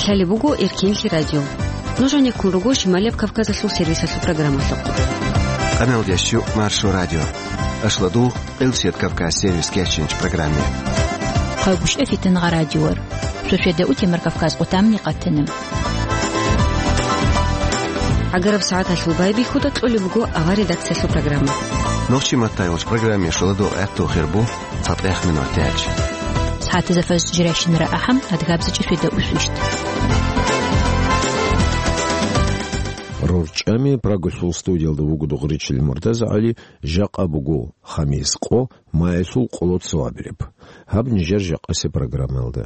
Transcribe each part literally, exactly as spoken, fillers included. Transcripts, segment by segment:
Лъалеб буго Эркенлъи радио. Нуж гьанеккун руго Шималияб Кавказалъул сервисалъул программалъухъ. Къаналдеш чу Маршо радио. Ашладу Къилсият Кавказ сервис кечинч программе. Хъагушев Фитнагъа радиор. Суседа утемар Кавказ къутамни къатана. Агараб сагӀаталъул байбихьуда кьолеб буго авар редакциялъул программа. Нохчи маттайолч программе шуладу гӀатту хирбу цатӀех минут тяч. СагӀатазда фаз жирайщинара ахӀам, адгабзачӀи суседа усвищт. РорчӀами Прагалъул студиялда вуго Дугъричил Муртаза ГӀали, жакъа буго хамис къо, маялъул къоло цо абилеб. Гьаб нижер жакъасеб программаялда.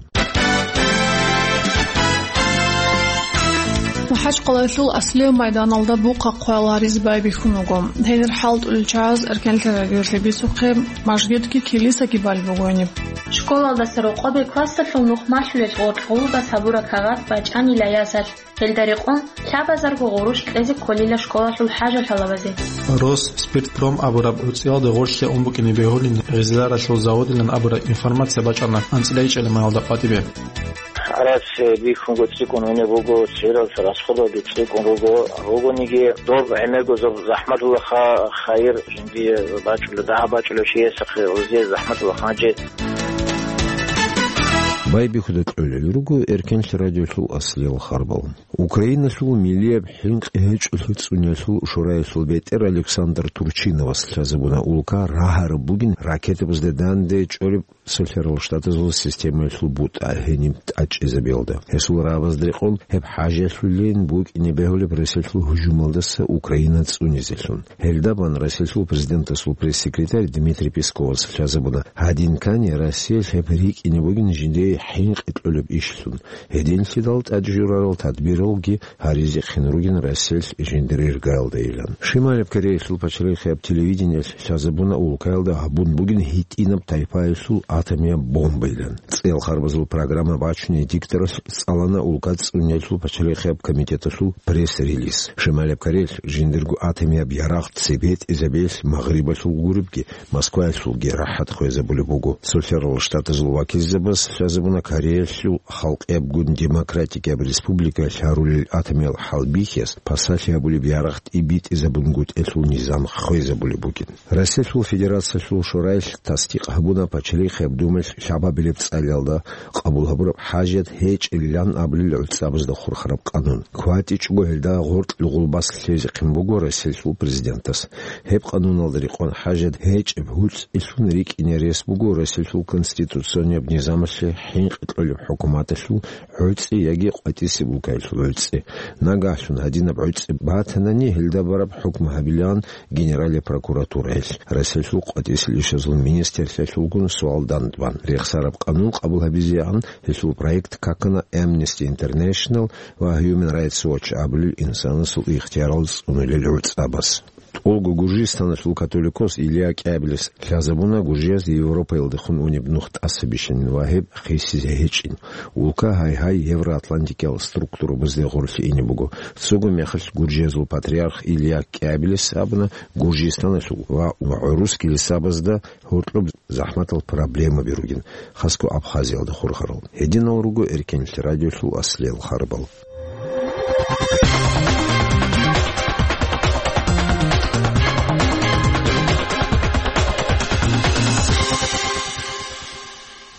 МахӀачкъалаялъул Аслияб майданалда бухъа хъваял гьаризе байбихьун вуго. Гьенир хӀалтӀулел чагӀаз Эркенлъи радиолъе бицухъе, мажгитги килисаги балеб буго гьениб. Школалдаса рокъобе классалъул нух малъулел гъоркь гъулбас гьабураб кагъат бачӀанила ясалъ. Гьелда рекъон лъабазарго гъурущ кьезе кколила школалъул хӀажал гьалабазе. Росспиртпром абураб гӀуцӀиялда гъорлъе ун букӀине бегьулин гъизларалъул заводилан абураб информация бачӀана анцӀила ичӀелемаялда къватӀибе. ГӀарац бихьунго цӀикӀкӀун гьунеб буго, цералъ расходалги цӀикӀкӀун руго, ругониги доб гӀемерго зоб-, захӀматулаха хайир жиндие бачӀула, дагьа бачӀула чиясахъе гъузе захӀматулаха гьанже. Байбихьуда кьолел руго Эркенлъи радиолъул аслиял харбал. Украиналъул милияб хӀинкъи гьечӀолъи цӀуниялъул шораялъул бетӀер Александр Турчиновас лъазабуна улка рагьараб бугин ракетабазда данде чӀориб Цолъарал Штатазул системаялъул бутӀа гьениб тӀачӀизабиялда. Гьесул рагӀабазда рекъон гьеб хӀажалъулин букӀине бегьулеб Россиялъул гьужумалдаса Украина цӀунизелъун. Гьелда бан Россиялъул президентасул пресс-секретарь Дмитрий Песковас лъазабуна гьадин ккани Россиялъ гьеб рикӀкӀине бугин жиндие хӀинкъи кьолеб ишлъун. Гьединлъидал тӀад журарал тадбиралги гьаризехъин ругин Россиялъ жиндир иргаялдайилан. Шималаб Кореялъул пачалихъияб телевидениялъ лъазабуна улкаялда гьабун бугин гьитӀинаб тайпаялъул атомияб бомбайилан. ЦӀел харбазул программа бачуней дикторалъ цӀалана улка цӀуниялъул пачалихъияб комитеталъул пресс-релиз. Шималаб Кореялъ жиндирго атомияб ярагъ цебетӀизабиялъ Магърибалъул гуребги, Москваялъулги рахӀат хвезабулеб буго. Цолъарал Штатазул вакилзабаз лъазабуна Кореялъул халкъиябгун демократикияб республикаялъ гьарулел атомиял хӀалбихьияс пасалъи гьабулеб ярагъ тӀибитӀизабунгутӀелъул низам хвезабулеб бугин. Россиялъул Федерациялъул Шораялъ тасдикъ гьабуна Пачалихъияб Думаялъ лъабабилеб цӀалиялда къабул гьабураб хӀажат гьечӀилан абулел гӀуцӀабазда хурхараб къанун. КватӀичӀого гьелда гъоркь лугъулбас лъезехъин буго Россиялъул президентас. Гьеб къануналда рекъон хӀажат гьечӀеб гьуцӀилъун рикӀкӀине рес буго Россиялъул конституционияб низамалъе хӀинкъи кьолеб хӀукуматалъул гӀуцӀи яги къватӀисеб улкаялъул гӀуцӀи. Нагагьлъун гьадинаб гӀуцӀи батанани, гьелда бараб хӀукму гьабилаан Генералияб прокуратураялъ. Россиялъул къватӀисел ишазул министрлъиялъулгун суал дандбан. Рехсараб къанун къабул гьабизегӀан гьелъул проект какана Amnesty International ва Human Rights Watch абулел инсанасул ихтиярал цӀунулел гӀуцӀабаз. ТӀолго Гуржистаналъул католикос Илья КӀиабилис лъазабуна гуржияз Европаялдехун унеб нух тӀаса бищанин ва гьеб хисизе гьечӀин. Улка гьай-гьай евроатлантикиял структурабазде гъорлъе ине буго. Цого мехалъ гуржиязул патриарх Илья КӀиабилис абуна Гуржистаналъул ва гӀурус килисабазда гьоркьоб захӀматал проблемаби ругин, хасго Абхазиялда хурхарал. Гьединал руго Эркенлъи радиолъул аслиял харбал.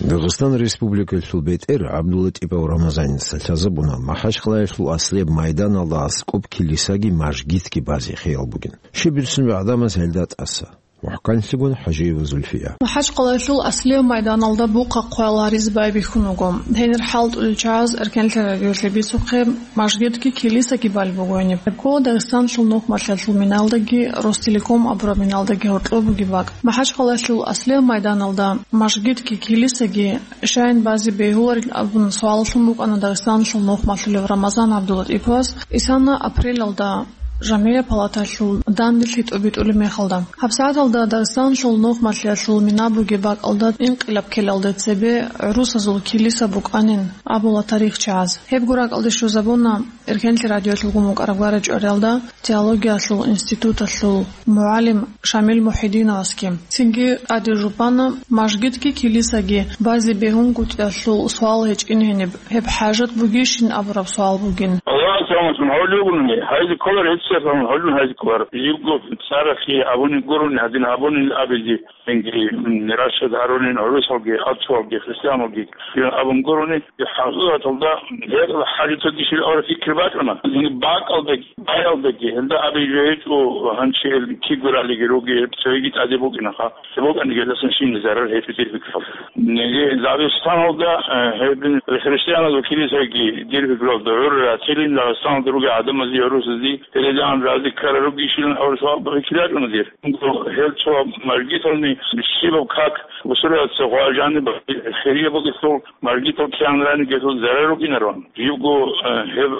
Дагъистан Республикалъул бетӀер ГӀабдуллатӀипов Рамазаница лъазабуна, МахӀачкъалаялъул аслияб майданалда аскӀоб килисаги мажгитги базе хиял бугин. Щиб бицунеб гӀадамаз гьелда тӀаса? МухӀканлъигун ХӀажиева Зульфия. МахӀачкъалаялъул аслияб майданалда бухъа хъваял гьаризе байбихьун вуго. Гьенир хӀалтӀулел чагӀаз Эркенлъи радиолъе бицухъе, мажгитги килисаги балеб буго гьениб. Гьеб ккола Дагъистаналъул нухмалъиялъул миналдаги Ростелеком абураб миналдаги гьоркьоб бугеб бакӀ. МахӀачкъалаялъул аслияб майданалда мажгитги килисаги щайин базе бегьуларил абун суаллъун букӀана Дагъистаналъул нухмалъулев Рамазан ГӀабдуллатӀиповас. Исана апрелалда жамгӀия палаталъул данделъи тӀобитӀулеб мехалда. ГьабсагӀаталда Дагъистаналъул нухмалъиялъул мина бугеб бакӀалда инкъилаб ккелалде цебе гӀурусазул килиса букӀанин абула тарихчияз. Гьебго ракӀалде щвезабуна Эркенлъи радиоялъулгун букӀараб гварачӀвариялда теологиялъул институталъул мугӀалим Шамил Мухьидиновасги. Цинги тӀаде жубана, мажгитги килисаги базе бегьунгутӀиялъул суал гьечӀин гьениб, гьеб хӀажат бугищин абураб суал бугин. Аллагьас рахӀматун гьавулев вугони, гьайзе кколар, гьебсагӀат рахӀматун гьавулев гьайзе кколар. Живго цӀарахъе абуни гурони, гьадин абуни абизе. Инги, м, рашад гьарулин гӀурусалги, аццуалги, христианалги, абун гурони, хӀакъикъаталда гьеб хӀалитаги ширгӀура фикр бачӀуна. Инги бакӀалдаги, баялдаги, гьелда абизе гьечӀо, гьанчи гьел кигуралиги руги, цоги тӀаде букӀинаха. Цо букӀаниги гьелдасан щибниги зарар гьечӀо дир пикралда. Инги Дагъистаналда, э, гьеб христианалги килисаги дир пикралда гӀур ратилин, Дагъистаналда руги гӀадамазе, гӀурусазе, гьеледагӀан разе ккарал ругищилан гӀур суал фикр бачӀуна дир. Гьел цо мажгитални щибаб как бусурбабаца гъважани хирия бугелъул, мажгитал кигӀанани гьелъул зарар рукӀинароан. Живго, э, гьеб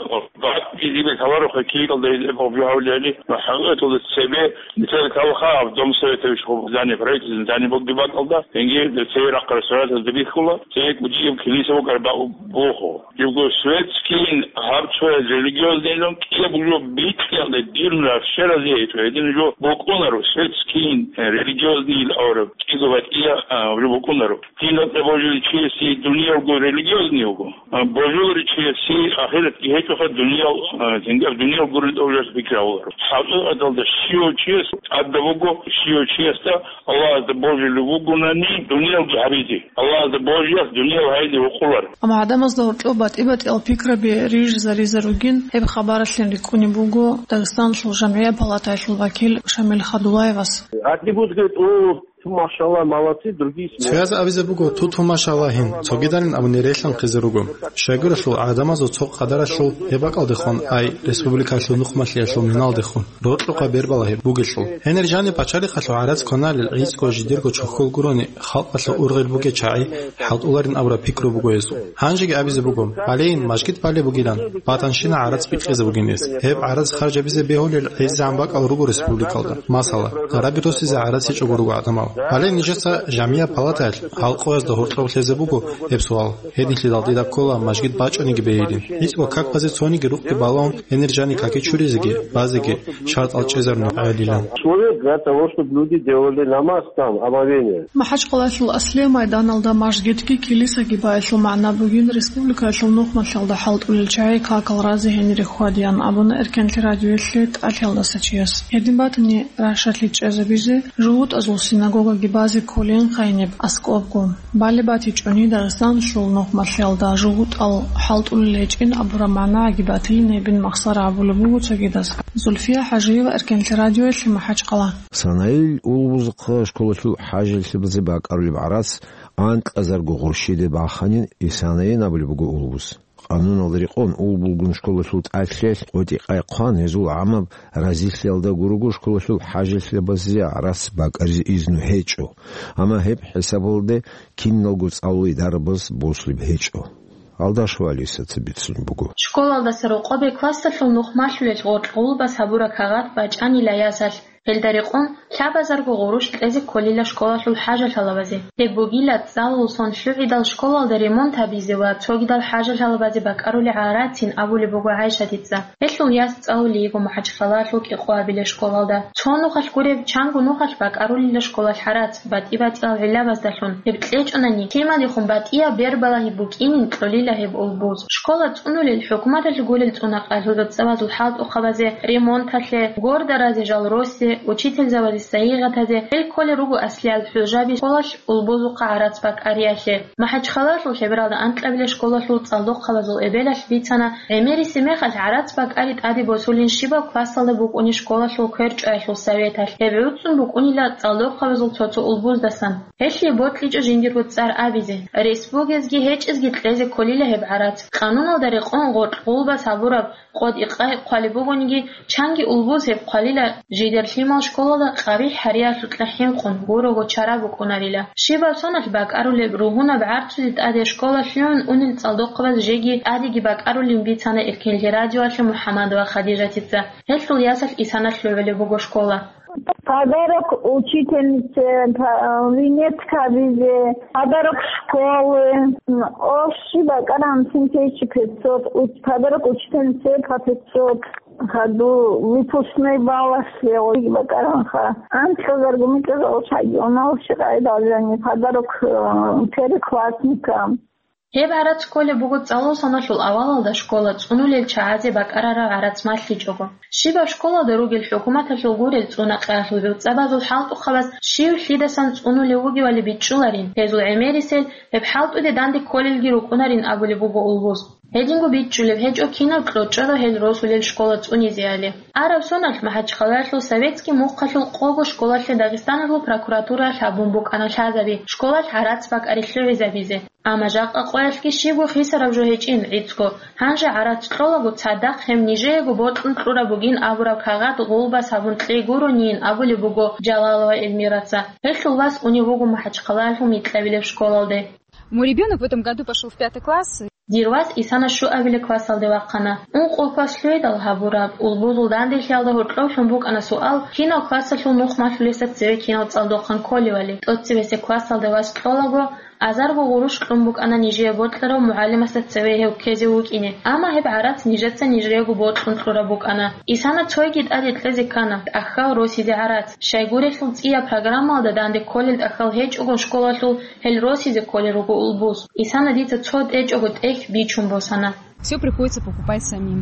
батӀи дибе каларухъе кигӀалда гьеб гьаб жо гьавлияли ва хӀакъикъаталда цебе нилъеда калаха гьаб Дом Советович гьаб здание, правительственное здание бугеб бакӀалда, инги цеве рахъ реставрацияда бихьула, цеве кӀудияб килиса букӀараб буху. Живго светскийин гьаб цояз религиозныйлъун кӀияб жо бикьиялда дир нур щеразе гьечӀо, гьедин жо букӀунаро, светскийин, э, религиозныйил авараг кӀиго батӀия, а, жо букӀунаро. Дин бокьа божулев чиясе дуниялго религиозный вуго, а, божулев чиясе ахиратги гьечӀоха, дуниял, а, тинги дуниялго религиозный пикру гьавуларо. ХӀакъикъаталда щивав чияс тӀадаб буго, щивав чиясда Аллагьасда божулев вугонани дуниялги гьабизе. Аллагьасда божиялъ дуниял гьайизе гьукъулар. Амма гӀадамазда гьоркьоб батӀи-батӀиял пикраби рижизаризе ругин, гьеб хабаралъин рикӀкӀунеб буго Дагъистаналъул жамгӀия палатаялъул вакил Шамил Хадулаевас. Одни будут говорить: «О, ту, машалла, молодцы», другие смеются. Цояз абизе буго: «Ту, ту, машалла, гьин», цогидалин абуни релъанхъизе руго. Щайгурелъул гӀадамазул цо къадаралъул гьеб бакӀалдехун, ай, республикалъул нухмалъиялъул миналдехун. Рокьукъа бербала гьеб бугелъул. Гьенир жаниб пачалихъалъул гӀарац кваналел гӀицӀго жидерго чохьол гурони, халкъалъул ургъел бугел чагӀи хӀалтӀуларин абураб пикру буго гьезул. Гьанжеги абизе буго, гьалейин мажгит балеб бугилан, батанщина гӀарац бикьизе бугин гьес. Гьеб гӀарац харжабизе бегьулел гӀезегӀан бакӀал руго республикалда. Масала, гъараби росизе гӀарац гьечӀого руго гӀадамал. Гьале нижеца жамгӀия палатаялъ гьал къоязда гьоркьоб лъезе буго гьеб суал. Гьединлъидал дида ккола мажгит бачӀаниги бегьилин. ГӀицӀго как базе цониги рукъги балаун, гьенир жани каки чуризеги, базеги шартӀал чӀезарун гӀелилан. Человек для того, чтобы люди делали намаз там, омовение. МахӀачкъалаялъул аслияб майданалда мажгитги килисаги байилъул магӀна бугин республикаялъул нухмалъиялда хӀалтӀулел чагӀи какал разе гьенире хьвадеян абуна Эркенлъи радиоялъе тӀалъиялдаса чияс. Гьедин батани, рашалъи чӀезабизе, жугьутӀазул синагогаги базе кколин хайниб аскӀобго. Балеб батичӀони Дагъистаналъул нухмалъиялда жугьутӀал хӀалтӀулел гьечӀин абураб магӀнагӀаги батилин гьебин махсара абулеб буго цогидаз. Зульфия ХӀажиева, Эркенлъи радиоялъе, МахӀачкъала. Санаил улбузухъа школалъул хӀажалъабазе бакӀарулеб гӀарац анкьазарго гъурщиде баханин, Исанаин абулеб буго улбуз. Къануналда рекъон, улбулгун школалъул тӀалъиялъ къотӀи-къай хъван, гьезул гӀамаб разилъиялда гурого школалъул хӀажалъабазе гӀарац бакӀаризе изну гьечӀо, амма гьеб хӀисабалде киналго цӀалулей дарабаз босулеб гьечӀо. Алдашева Алисаца бицун буго. Школалдаса рокъобе классалъул нухмалъулел гъоркь гъулбас гьабураб кагъат бачӀанила ясалъ. Гьелда рекъон лъабазарго гъурущ кьезе кколила школалъул хӀажалъалабазе. Гьеб бугила цӀалул сон лъугӀидал школалда ремонт гьабизе ва цогидал хӀажалъалабазе бакӀарулел гӀарацин абулеб буго ГӀайшатица. Гьелъул яс цӀалулей йиго МахӀачхъалаялъул КӀикъоабилеб школалда. Цо нухалъ гуреб, чанго нухалъ бакӀарулила школалъ гӀарац, батӀи-батӀиял гӀиллабаздалъун. Гьеб кьечӀонани, темадехун батӀияб бербалагьи букӀинин кьолила гьеб улбуз. Школа цӀунулел, хӀукуматалъ гурел цӀунакъалъул цӀабазул хӀалтӀухъабазе, ремонталъе, гордаразе жал росе, учительзабазе сайигъатазе, гьел кколел руго аслиял хӀужаби школалъ улбузухъа гӀарац бакӀариялъе. МахӀачхъалаялъул лъебералда анкьабилеб школалъул цӀалдохъабазул эбелалъ бицана, гӀемерисеб мехалъ гӀарац бакӀари тӀаде босулин щибаб классалда букӀунеб школалъул кверчӀоялъул советалъ. Гьеб гӀуцӀун букӀунила цӀалдохъабазул цо-цо улбуздасан. Гьелъие бокьичӀо жиндирго цӀар абизе. Рес бугезги гьечӀезги кьезе кколила гьеб гӀарац. Къануналда рекъон гъоркь гъулбас гьабураб къотӀи-къай хъвалеб бугониги, чанги улбуз гьеб хъвалила жидер лъим Школалда къабихӀ гьариялъукьа хӀинкъун гурого чара букӀунарила. Щибаб соналъ бакӀарулеб, ругьунаб гӀарцузе тӀаде школалъ лъугӀун унел цӀалдохъабаз жеги тӀадеги бакӀарулин бицана Эркенлъи радиоялъе МухӀаммадова Хадижатица. Гьелъул ясалъ Исана лъугӀулеб буго школа. Подарок учительнице, па-, винетка бизе, подарок школы, м, общий бакаран семь тысяч пятьсот, уч-, подарок учительнице по пятьсот, году выпускной балласлъе бакаранха. Анкьазарго микьазал шагьи, оналщи къайдал жани, подарок, э, первоклассникам. Гьеб гӀарац кколеб буго цӀалул соналъул авалалда школа цӀунулел чагӀазе бакӀарараб гӀарац малъичӀого. Щибаб школалда ругел хӀукуматалъул гурел цӀунакъиялъул гӀуцӀабазул хӀалтӀухъабаз щив лъидасан цӀунулев вугевали бичӀчӀуларин, гьезул гӀемерисел гьеб хӀалтӀуде данде кколелги рукӀунарин абулеб буго улбуз. Гьединго бичӀчӀулеб гьечӀо кинав кьочӀого гьел росулел школа цӀунизеали. Араб соналъ МахӀачхъалаялъул Советский мухъалъул къого школалъе Дагъистаналъул прокуратураялъ гьабун букӀана лъазаби школалъ гӀарац бакӀари лъугӀизабизе. Амма жакъа къоялъги щибго хисараб жо гьечӀин гӀицӀго, гьанже гӀарац кьолаго цадахъ гьеб нижеего бокьун кьураб бугин абураб кагъат гъулбас гьабун кьей гуронийин абулеб буго Жалалова Эльмираца. Гьелъул вас унев вуго МахӀачхъалаялъул микьабилеб школалде. Мой ребёнок в этом году пошёл в пятый класс. Дир вас Исана щуабилеб классалде вахъана. Ункъо класс лъугӀидал гьабураб улбузул данделъиялда гьоркьовлъун букӀана суал, кинав классалъул нух малъулесда цеве кинал цӀалдохъан кколевали. ТӀоцебесеб классалда вас кьолаго, азарго гъурущ кьун букӀана нижее бокьарав мугӀалимасда цеве гьев ккезе вукӀине. Амма гьеб гӀарац нижеца нижеего бокьун кьураб букӀана. Исана цойги тӀаде кьезе ккана, тӀахьал росизе гӀарац. Щайгурелъул цӀияб программалда данде кколел тӀахьал гьечӀого школалъул гьел росизе кколел руго улбуз. Исана дица цо тӀечӀого тӀехь бичун босана. Всё приходится покупать самим.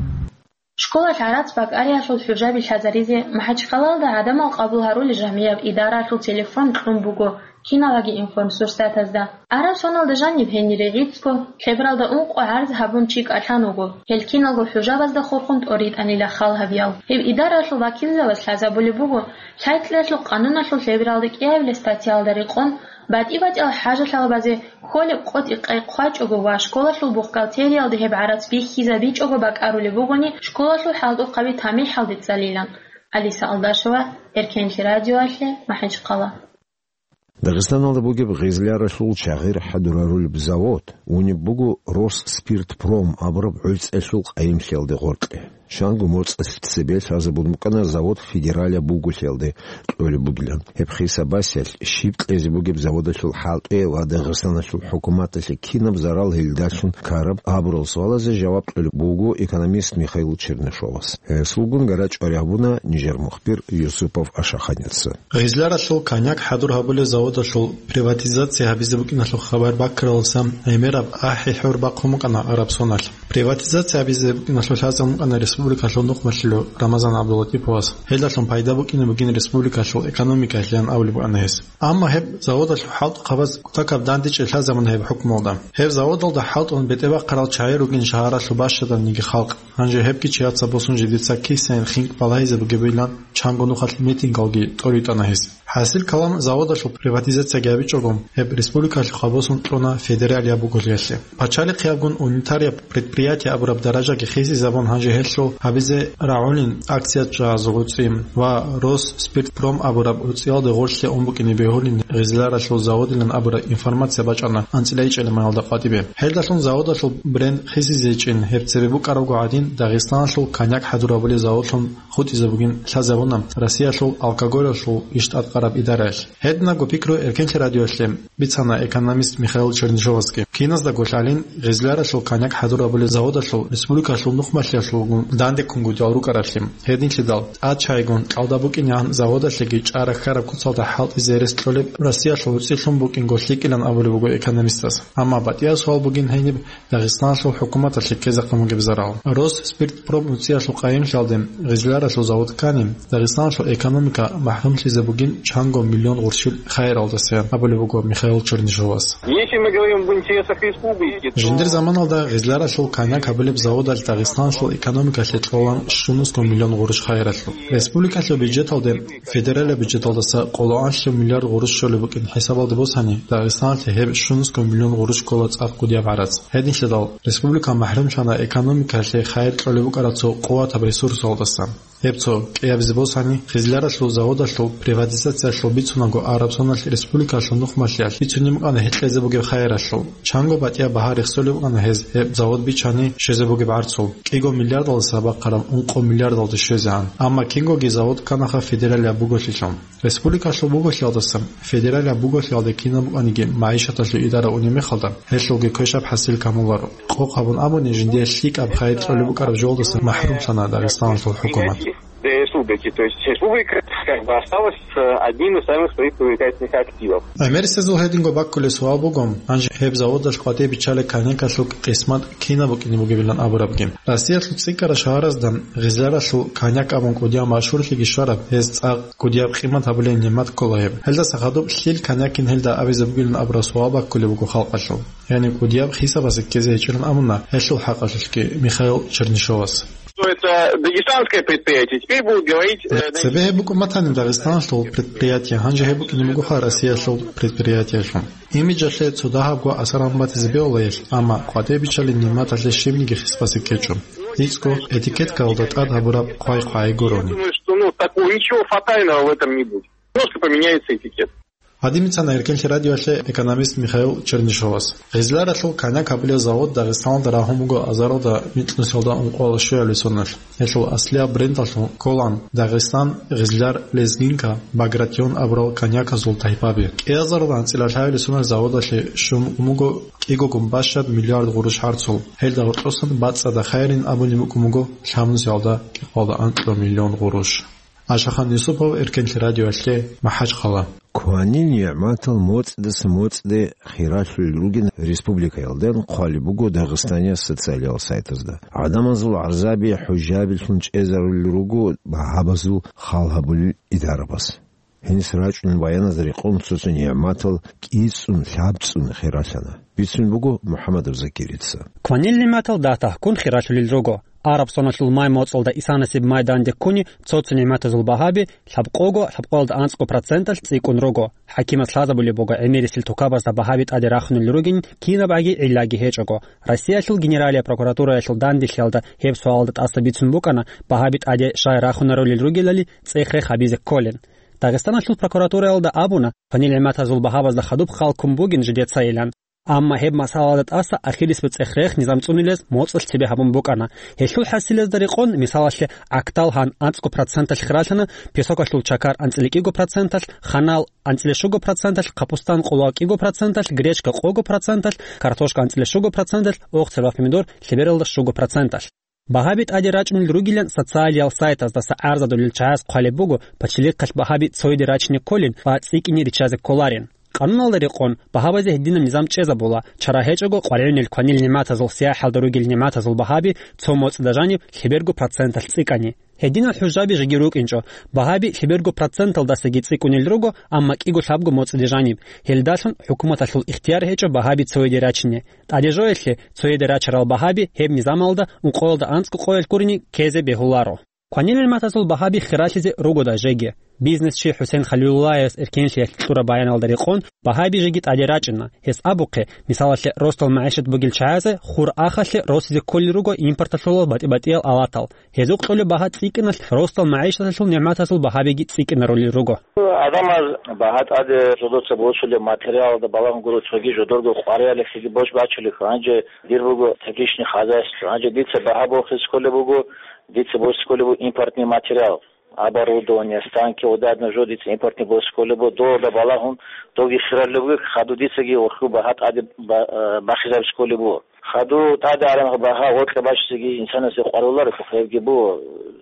Школалъ гӀарац бакӀариялъул хӀужаби лъазаризе МахӀачхъалалда гӀадамал къабул гьарулел жамгӀияб идараялъул телефон кьун буго киналги информсурсатазда. Араб соналда жаниб гьенире гӀицӀго лъебералда ункъо гӀарз гьабун чи кӀалъан вуго. Гьел киналго хӀужабазда хурхун тӀоритӀанила хал гьабиял. Гьеб идараялъул вакилзабаз лъазабулеб буго, лъай-кьеялъул къануналъул лъебералда кӀиабилеб статьялда рекъон, батӀи-батӀиял хӀажалъалабазе кколеб къотӀи-къай хъвачӀого ва школалъул бухгалтериялде гьеб гӀарац бихьизабичӀого бакӀарулеб бугони, школалъул хӀалтӀухъаби тамихӀалде цӀалилан. Алиса Алдашева, Эркенлъи радиоялъе, МахӀачхъала. Дагъистаналда бугеб гъезляралъул чагъир хӀадурарулеб завод унеб буго Росспиртпром абураб гӀуцӀиялъул къайимлъиялде гъоркье. Чанго моцӀалъ цебе лъазабун букӀана завод федералияб бугулъиялде кьолеб бугилан. Гьеб хисабасиялъ щиб кьезе бугеб заводалъул хӀалтӀи ва Дагъистаналъул хӀукуматалъе кинаб зарал гьелдалъун ккараб абурал суалазе жаваб кьолеб буго экономист Михаил Чернышовас. Гьесулгун гара чӀвари гьабуна нижер мухбир Юсупов Ашаханица. Гъезляралъул коньяк хӀадур гьабулеб заводалъул приватизация гьабизе букӀиналъул хабар баккаралдаса гӀемераб ахӀи-хӀур бахъун букӀана араб соналъ. Приватизация гьабизе букӀиналъул лъазабун букӀана республикалъул нухмалъулев Рамазан ГӀабдуллатиповас. Гьелдалъун пайда букӀине бугин республикалъул экономикалъеян абулеб букӀана гьес. Амма гьеб заводалъул хӀалтӀухъабаз кутакаб дандечӀей лъазабуна гьеб хӀукмуялда. Гьеб заводалда хӀалтӀун бетӀербахъарал чагӀи ругин шагьаралъул бащаданниги халкъ. Гьанже гьебги чияца босун жидеца кисайин хинкӀ балагьизабугебилан чанго нухалъ митингалги тӀоритӀана гьес. ХӀасил калам, заводалъул приватизацияги гьабичӀого, гьеб республикалъухъа босун кьуна федералияб бугулъиялъе. Пачалихъиябгун унитарияб предприятие абураб даражаги хисизабун, гьанже гьелъул гьабизе рагӀулин акциячӀазул гӀуцӀи ва Росспиртпром абураб гӀуцӀиялде гъорлъе ун букӀине бегьулин гъезляралъул заводилан абураб информация бачӀана анцӀила ичӀелиманалда къватӀибе. Гьелдалъун заводалъул бренд хисизейчӀин, гьеб цебе букӀарабго гӀадин, Дагъистаналъул коньяк хӀадур гьабулеб заводлъун хутӀизабугин лъазабуна Россиялъул алкоголалъул иш тӀадкъараб идараялъ. Гьединабго пикру Эркенлъи радиоялъе бицана экономист Михаил Чернышовасги. Киназдаго лъалин, гъезляралъул коньяк хӀадур гьабулеб заводалъул республикалъул нухмалъиялъулгун дандеккунгутӀиялъ рукӀараблъи. Гьединлъидал тӀад чагӀигун кьалда букӀинегӀан заводалъеги чӀара хьараб куцалда хӀалтӀизе рес кьолеб Россиялъул гӀуцӀилъун букӀинго лъикӀилан абулеб буго экономистас. Амма батӀиял суал бугин гьениб Дагъистаналъул хӀукуматалъе ккезехъин бугеб зарал. Росспиртпром гӀуцӀиялъул къайимлъиялде гъезляралъул завод ккани, Дагъистаналъул экономика махӀрумлъизе бугин чанго миллион гъурщил хайиралдаса, абулеб буго Михаил Чернышовас. Если мы говорим об интересах республики, то Жиндир заманалда гъезляралъул коньяк гьабулеб заводалъ Дагъистаналъул экономикалъе кьолан щунусго миллион гъурущ хайиралъул. Республикалъул бюджеталде федералияб бюджеталдаса къоло анлъи миллиард гъурущ щолеб букӀин хӀисабалде босани, Дагъистаналъе гьеб щунусго миллион гъурущ ккола цӀакъ кӀудияб гӀарац. Гьединлъидал республика махӀрумлъана экономикалъе хайир кьолеб букӀараб цо къуватаб ресурсалдаса. Гьеб цо кӀиабизе босани, Хизляралъул заводалъул приватизациялъул бицунаго Арабсоналъ республикалъул нухмалъиялъ бицунеб букӀана гьекъезе бугеб хайиралъул. Чанго батӀияб багьа рехсолеб букӀана гьез гьеб завод бичани щвезе бугеб гӀарцул, кӀиго миллиардалдаса бахъараб ункъо миллиардалде щвезегӀан. Амма кингоги завод кканаха федералияб буголъилъун. Республикалъул буголъиялдаса федералияб буголъиялде кинаб букӀаниги магӀишаталъул идара унеб мехалда, гьелъулги квешаб хӀасил камуларо. Къокъ гьабун абуни, жиндие лъикӀаб хайир кьолеб букӀараб жолдаса махӀрумлъана Дагъистаналъул хӀукумат. Для республики. То есть республика как бы осталась с одним из самых своих привлекательных активов. ГӀемерисезул гьединго баккулеб суал буго, гьанже гьеб заводалъ къватӀибе биччалеб коньякалъул къисмат кинаб букӀине бугебилан абурабги. Россиялъул цӀикӀкӀараб шагьаразда Гъизляралъул коньяк абун кӀудияб машгьурлъиги щвараб, гьез цӀакъ кӀудияб къимат гьабулеб нигӀмат ккола гьеб. Гьелдаса хадуб лъил коньякин гьелда абизе бугилан абураб суал баккулеб буго халкъалъул. Яни кӀудияб хисабазе ккезе гьечӀилан абуна гьелъул хӀакъалъулъги Михаил Чернышовас. Что это дагестанское предприятие, теперь будут говорить, э, Цебе гьеб букӀун батани Дагъистаналъул предприятие, гьанже гьеб букӀине бугоха Россиялъул предприятиялъул. Имиджалъе цо дагьабго асар гьабун батизе бегьула гьелъ, амма къватӀибе биччалеб нигӀматалъе щибниги хисбазе ккечӀо. ГьечӀго этикеткаялда тӀад гьабураб хъвай-хъвай гурони. Я думаю, что, ну, такого ничего фатального в этом не будет. Просто поменяется этикет. Гьадин бицана Эркенлъи радиоялъе экономист Михаил Чернышовас. Гъизляралъул коньяк гьабулеб завод Дагъистаналда рагьун буго азаралда микьнусиялда ункъоялда щуялъул соналъ. Гьелъул аслияб брендалъун кколан Дагъистан, Гъизляр, Лезгинка, Багратион абурал коньяказул тайпаби. КӀиазаралда анцӀила лъабилеб соналъ заводалъе щун ун буго кӀигогун бащад миллиард гъурущ гӀарцул. Гьелда гьоркьосан бацӀцӀадаб хайирин абуни букӀун буго лъабнусиялда кӀикъоялда анкьго миллион гъурущ. Ашахан Юсупов, Эркенлъи радиоялъе, МахӀачхъала. Кванил нигӀматал моцӀидаса моцӀиде хиралъулел ругин республикаялда хъвалеб буго Дагъистаниялъ социалиял сайтазда. ГӀадамазул гӀарзаби хӀужаябилъун чӀезарулел руго багьабазул хал гьабулел идарабаз. Гьениса рачӀунел баяназда рекъон цо-цо нигӀматал кӀицӀун, лъабцӀун хиралъана. Бицун буго МухӀамадов Закирица. Кванил нигӀматал датахъ ккун хиралъулел руго. Араб соналъул май моцӀалда исанасеб май данде ккуни цо-цо нигӀматазул багьаби лъабкъого, лъабкъоялда анцӀго проценталъ цӀикӀкӀун руго. ХӀакимас лъазабулеб буго гӀемерисел тукабазда багьаби тӀаде рахунел ругин кинабгӀаги гӀиллаги гьечӀого. Россиялъул Генералияб прокуратураялъул данделъиялда гьеб суалалда тӀаса бицун букӀана багьаби тӀаде щай рахунарулел ругелали цӀех-рех гьабизе кколин. Дагъистаналъул прокуратураялда абуна, кванил нигӀматазул багьабазда хадуб хал ккун бугин жидецайилан. Амма гьеб масъалаялда тӀаса ахирисеб цӀех-рех низам цӀунилез моцӀалъ цебе гьабун букӀана. Гьелъул хӀасилезда рекъон, мисалалъе, Актал гьан анцӀго проценталъ хиралъана, Песокалъул Чакар анцӀила кӀиго проценталъ, Ханал анцӀила щуго проценталъ, Капустан къоло кӀиго проценталъ, Гречка къого проценталъ, Картошка анцӀила щуго проценталъ, Охцер ва Помидор лъебералда щуго проценталъ. Багьаби тӀаде рачӀунел ругилан социалиял сайтаздаса гӀарзадулел чагӀаз хъвалеб буго, пачалихъалъ багьаби цояде рачине кколин ва цӀикӀкӀине риччазе кколарин. Къануналда рекъон, багьабазе гьединаб низам чӀезабула, чара гьечӀого къваригӀунел кванил нигӀматазул сияхӀалда ругел нигӀматазул багьаби цо моцӀида жаниб лъеберго проценталъ цӀикӀкӀани. Гьединал хӀужаби жеги рукӀинчӀо, багьаби лъеберго проценталдасаги цӀикӀкӀунел руго, амма кӀиго-лъабго моцӀиде жаниб. Гьелдалъун хӀукуматалъул ихтияр гьечӀо багьаби цояде рачине. ТӀаде жоялъе, цояде рачарал багьаби гьеб низамалда ункъоялда анцӀго къоялъ гурони ккезе бегьуларо. Кванил нигӀматазул багьаби хиралъизе ругода жеги. Бизнесчи ХӀусен Халилуллаевас Эркенлъиялъ кьураб баяналда рекъон, багьаби жеги тӀаде рачӀина. Гьес абухъе, мисалалъе, ростал магӀишат бугел чагӀазе хур ахалъе росизе кколел руго импорталъулал батӀи-батӀиял алатал. Гьезухъ кьолеб багьа цӀикӀкӀиналъ ростал магӀишаталъул нигӀматазул багьабиги цӀикӀкӀинарулел руго. Адамаз багьа тӀаде жодоца босулеб материалалда балагьун гуро цоги жодорго къваригӀеллъиги бош бачулеб, гьанже дир буго тепличный хозяйство. Гьанже дица багьа бохизе кколеб буго, дица босизе кколеб буго импортный материал, оборудование, станки, одадна жо дица импортный босизе кколеб буго, долда балагьун, доги хираллеб буго, хаду дицаги вохьу багьа тӀаде ба-, э, бахизабизе кколеб буго. Хаду тӀаде араб багьа гъоркье бачизеги инсанасе къваруларо, гьебги буго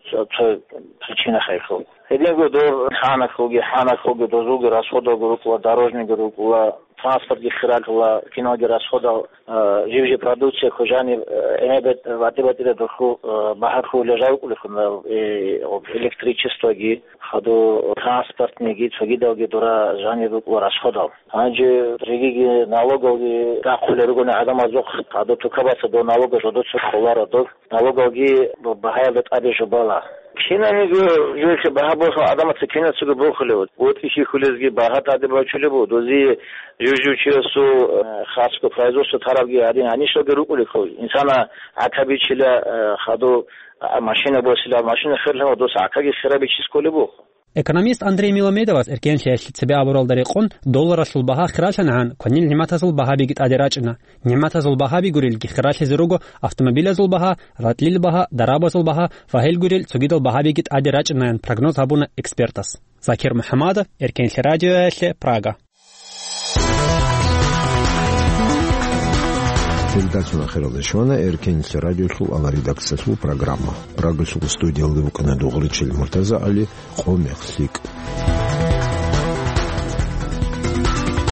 цо, цо причина хайхьул. Гьединго доб хӀанахъулги, хӀанахъулги дозулги расходалги рукӀула, дорожныйги рукӀула, транспортги хиралъула, киналги расходал, а, жив-жив продукция хъужани, а, эме бет-, батӀи-батӀида духу, а, багьахъу лежавкӀулехъуна, э, электричествоги, хаду транспортныйги, цогидалги дура жанир рукӀула расходал. Гьанже жегиги налогалги рахъулел ругони гӀадамазухъ, гьадаб тукабаца дов налога жодоца кколаро дов. Налогалги багьаялда тӀаде жубала. Кинаниго жо-, жо-, багьа бохун, адамаца кинацаго бохулев. БутӀи хьихьулезги багьа тӀаде бачулеб буго. Дози жужучиясул, э, хасго производство тарабги гьадин гьанишалги рукӀулехъо. Инсана гӀакабичила, э, хадув, а, машина босила, машина херлъун, дос гӀакаги херабичис кколеб буго. Экономист Андрей Миламедовас эркенлъиялъе цебе абуралда рекъон, долларалъул багьа хиралъанагӀан кванил нигӀматазул багьабиги тӀаде рачӀина. НигӀматазул багьаби гурелги хиралъизе руго автомобилазул багьа, ратӀлил багьа, дарабазул багьа ва гьел гурел цогидал багьабиги тӀаде рачӀинаян прогноз гьабуна экспертас. Закир МухӀаммадов, Эркенлъи радиоялъе, Прага. Передача ахиралде щвана Эркенлъи радиолъул аваридакциялъул программа. Прагалъул студиялда вукӀана Дугъричил МуртазагӀали, «Къо мех лъикӀ».